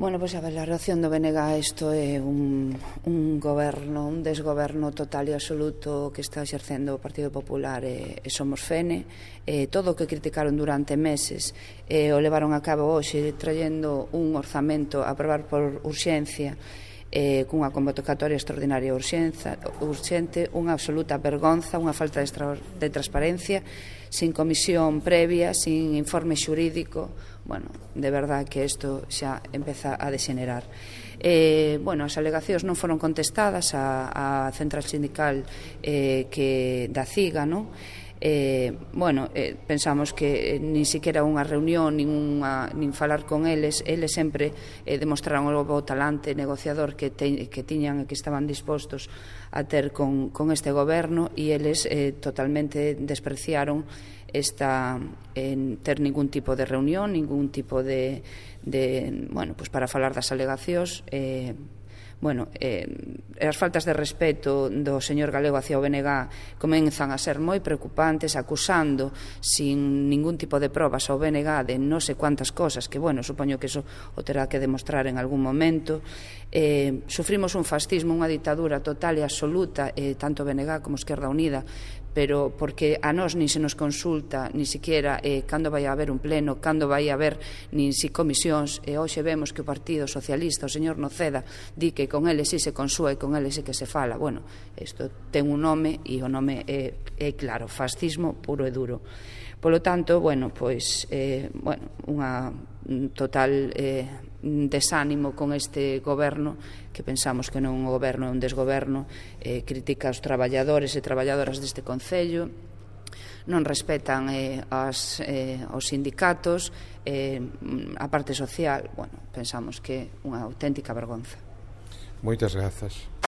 Bueno, pois a valoración do BNG, isto é un goberno, un desgoberno total e absoluto que está exercendo o Partido Popular e Somos Fene. Todo o que criticaron durante meses o levaron a cabo hoxe traendo un orzamento a aprobar por urxencia cunha convocatoria extraordinaria urxente, unha absoluta vergonza, unha falta de transparencia, sin comisión previa, sin informe xurídico. Bueno, de verdad que isto xa empeza a degenerar. As alegacións non foron contestadas á central sindical da CIGA, non? Pensamos que nin siquiera unha reunión nin falar con eles sempre demostraron o bo talante negociador que tiñan e que estaban dispostos a ter con este goberno, e eles totalmente despreciaron ter ningún tipo de reunión, ningún tipo de para falar das alegacións. As faltas de respeto do señor Galego hacia o BNG comenzan a ser moi preocupantes, acusando sin ningún tipo de probas ao BNG de non sei cuántas cosas que, supoño que eso o terá que demostrar en algún momento. Sufrimos un fascismo, unha ditadura total e absoluta, tanto BNG como Esquerda Unida, pero porque a nós nin se nos consulta ni siquiera cando vai a haber un pleno, cando vai a haber nin si comisións. Hoxe vemos que o Partido Socialista, o señor Noceda, di que con eles si se consúa e con eles si que se fala. Isto ten un nome e o nome é claro, fascismo puro e duro. Polo tanto, unha total desánimo con este goberno, que pensamos que non é un goberno, é un desgoberno. Critica aos traballadores e traballadoras deste concello, non respetan os sindicatos, a parte social. Pensamos que é unha auténtica vergonza. Moitas grazas.